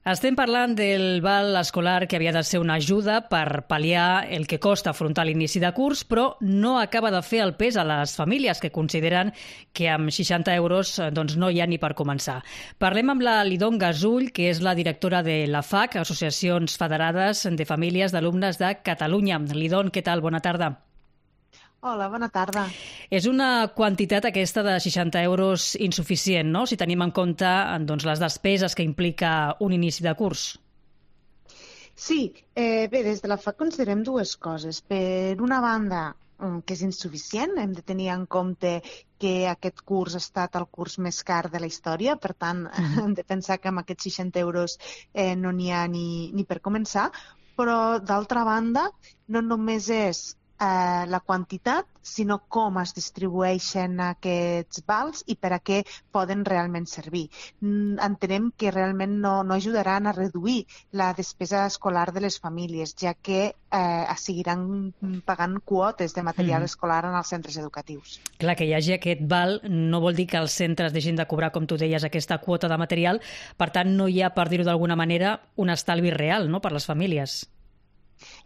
Estem parlant del val escolar que havia de ser una ajuda per pal·liar el que costa afrontar l'inici de curs, però no acaba de fer el pes a les famílies que consideren que amb 60 euros no hi ha ni per començar. Parlem amb la Lidon Gasull, que és la directora de la FAC, Associacions Federades de Famílies d'Alumnes de Catalunya. Lidon, què tal? Bona tarda. Hola, bona tarda. És una quantitat aquesta de 60 euros insuficient, no?, si tenim en compte les despeses que implica un inici de curs. Sí, bé, des de la FAC considerem dues coses. Per una banda, que és insuficient, hem de tenir en compte que aquest curs ha estat el curs més car de la història, per tant, hem de pensar que amb aquests 60 euros no n'hi ha ni per començar, però d'altra banda, no només és la quantitat, sinó com es distribueixen aquests vals i per a què poden realment servir. Entenem que realment no ajudaran a reduir la despesa escolar de les famílies, ja que seguiran pagant quotes de material escolar en els centres educatius. Clar, que hi hagi aquest val no vol dir que els centres deixin de cobrar, com tu deies, aquesta quota de material. Per tant, no hi ha, per dir-ho d'alguna manera, un estalvi real, no?, per les famílies.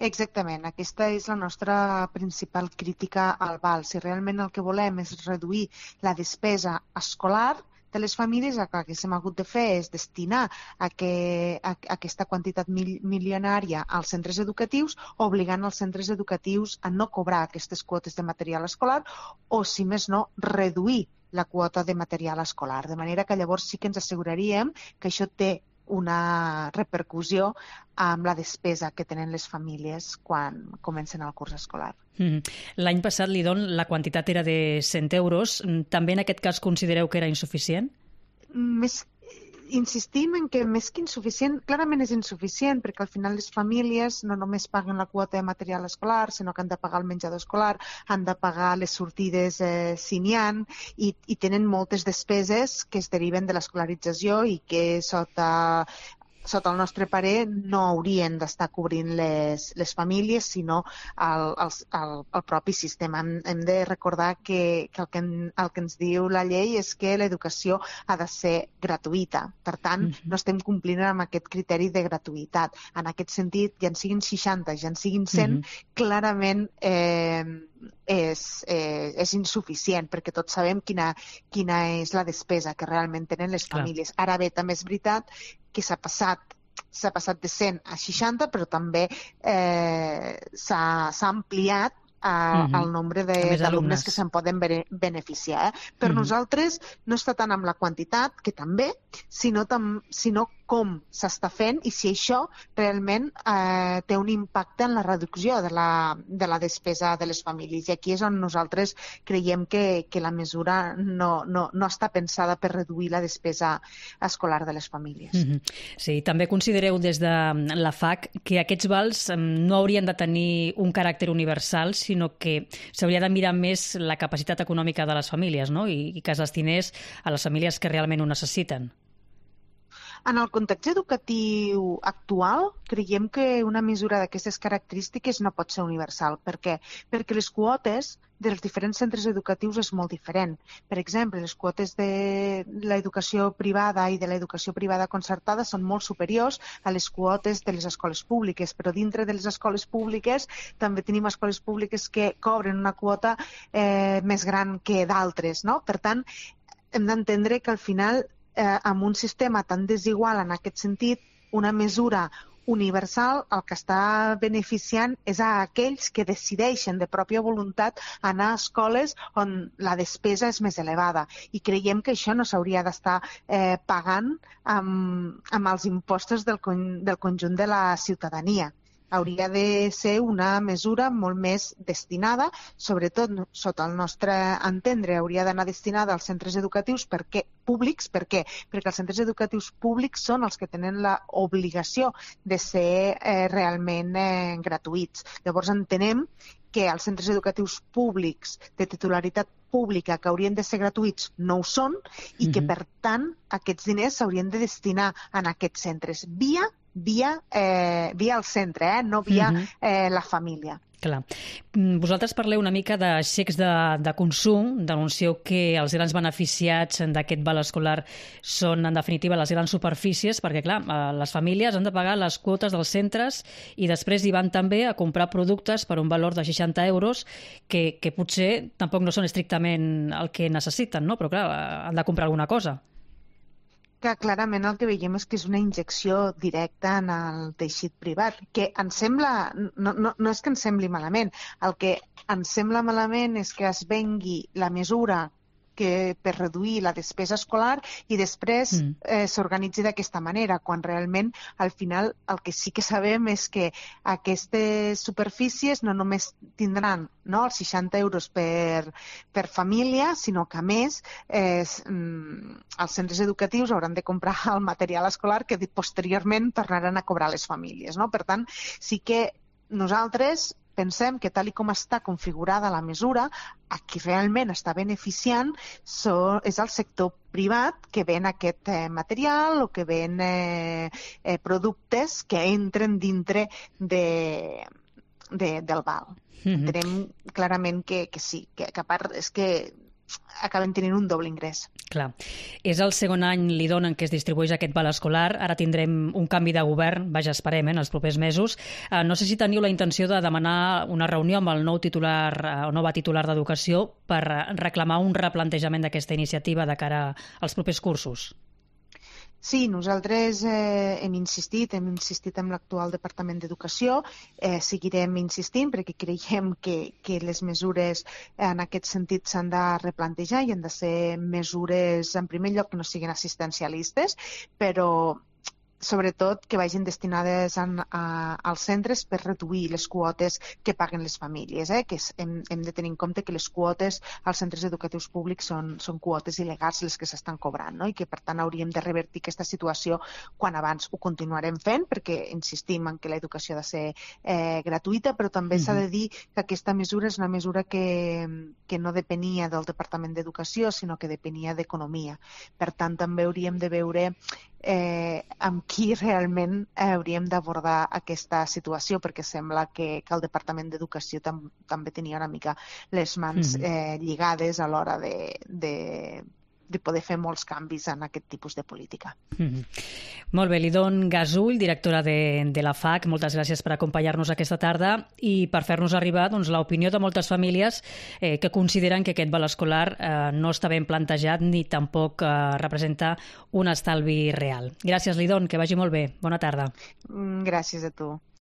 Exactament, aquesta és la nostra principal crítica al val. Si realment el que volem és reduir la despesa escolar de les famílies, el que s'hem hagut de fer és destinar aquesta quantitat milionària als centres educatius, obligant els centres educatius a no cobrar aquestes quotes de material escolar o, si més no, reduir la quota de material escolar. De manera que llavors sí que ens asseguraríem que això té una repercussió amb la despesa que tenen les famílies quan comencen el curs escolar. L'any passat, Lidon, la quantitat era de 100 euros. També en aquest cas considereu que era insuficient? Insistim en que més que insuficient, clarament és insuficient, perquè al final les famílies no només paguen la quota de material escolar, sinó que han de pagar el menjador escolar, han de pagar les sortides si n'hi ha, i tenen moltes despeses que es deriven de l'escolarització i que sota el nostre parer no haurien d'estar cobrint les famílies, sinó el propi sistema. Hem de recordar que el que ens diu la llei és que l'educació ha de ser gratuïta. Per tant, no estem complint amb aquest criteri de gratuïtat. En aquest sentit, ja en siguin 60, ja en siguin 100, clarament és insuficient, perquè tots sabem quina és la despesa que realment tenen les famílies. Ara bé, també és veritat que s'ha passat de 100 a 60, però també s'ha ampliat el nombre d'alumnes que se'n poden beneficiar. Per nosaltres no està tant amb la quantitat, que també, sinó com s'està fent i si això realment té un impacte en la reducció de la despesa de les famílies. I aquí és on nosaltres creiem que la mesura no està pensada per reduir la despesa escolar de les famílies. Sí, també considereu des de la FAC que aquests vals no haurien de tenir un caràcter universal, sinó que s'hauria de mirar més la capacitat econòmica de les famílies, no?, i que es destinés a les famílies que realment ho necessiten. En el context educatiu actual, creiem que una mesura d'aquestes característiques no pot ser universal. Per què? Perquè les quotes dels diferents centres educatius és molt diferent. Per exemple, les quotes de l'educació privada i de l'educació privada concertada són molt superiors a les quotes de les escoles públiques, però dintre de les escoles públiques també tenim escoles públiques que cobren una quota més gran que d'altres, no? Per tant, hem d'entendre que al final amb un sistema tan desigual en aquest sentit, una mesura universal el que està beneficiant és a aquells que decideixen de pròpia voluntat anar a escoles on la despesa és més elevada. I creiem que això no s'hauria d'estar pagant amb els impostos del conjunt de la ciutadania. Hauria de ser una mesura molt més destinada, sobretot sota el nostre entendre, hauria d'anar destinada als centres educatius públics. Per què? Perquè els centres educatius públics són els que tenen l'obligació de ser realment gratuïts. Llavors entenem que els centres educatius públics de titularitat pública que haurien de ser gratuïts no ho són i que, per tant, aquests diners s'haurien de destinar en aquests centres via via el centre, no via la família. Clar. Vosaltres parleu una mica de xecs de consum, denuncieu que els grans beneficiats d'aquest val escolar són, en definitiva, les grans superfícies, perquè, clar, les famílies han de pagar les quotes dels centres i després hi van també a comprar productes per un valor de 60 euros que potser tampoc no són estrictament el que necessiten, no? Però, clar, han de comprar alguna cosa. Que clarament el que veiem és que és una injecció directa en el teixit privat, que ens sembla, no és que ens sembli malament, el que ens sembla malament és que es vengui la mesura per reduir la despesa escolar i després s'organitzi d'aquesta manera, quan realment al final el que sí que sabem és que aquestes superfícies no només tindran els 60 euros per família, sinó que a més els centres educatius hauran de comprar el material escolar que posteriorment tornaran a cobrar les famílies. Per tant, sí que nosaltres pensem que tal com està configurada la mesura, a qui realment està beneficiant és el sector privat que ven aquest material o que ven productes que entren dintre del val. Entenem clarament que sí, que a part és que acaben tenint un doble ingrés. Clar. És el segon any, Lidón, en què es distribueix aquest val escolar. Ara tindrem un canvi de govern, vaja, esperem, en els propers mesos. No sé si teniu la intenció de demanar una reunió amb el nou titular o nova titular d'Educació per reclamar un replantejament d'aquesta iniciativa de cara als propers cursos. Sí, nosaltres hem insistit amb l'actual Departament d'Educació, seguirem insistint perquè creiem que les mesures en aquest sentit s'han de replantejar i han de ser mesures, en primer lloc, que no siguin assistencialistes, però sobretot que vagin destinades als centres per reduir les quotes que paguen les famílies. Que hem de tenir en compte que les quotes als centres educatius públics són quotes il·legals les que s'estan cobrant, i que per tant hauríem de revertir aquesta situació quan abans. Ho continuarem fent perquè insistim en que l'educació ha de ser gratuïta, però també s'ha de dir que aquesta mesura és una mesura que no depenia del Departament d'Educació, sinó que depenia d'Economia. Per tant, també hauríem de veure amb qui realment hauríem d'abordar aquesta situació, perquè sembla que el Departament d'Educació també tenia una mica les mans lligades a l'hora de poder fer molts canvis en aquest tipus de política. Molt bé, Lidón Gasull, directora de la FAC, moltes gràcies per acompanyar-nos aquesta tarda i per fer-nos arribar l'opinió de moltes famílies que consideren que aquest val escolar no està ben plantejat ni tampoc representa un estalvi real. Gràcies, Lidón, que vagi molt bé. Bona tarda. Gràcies a tu.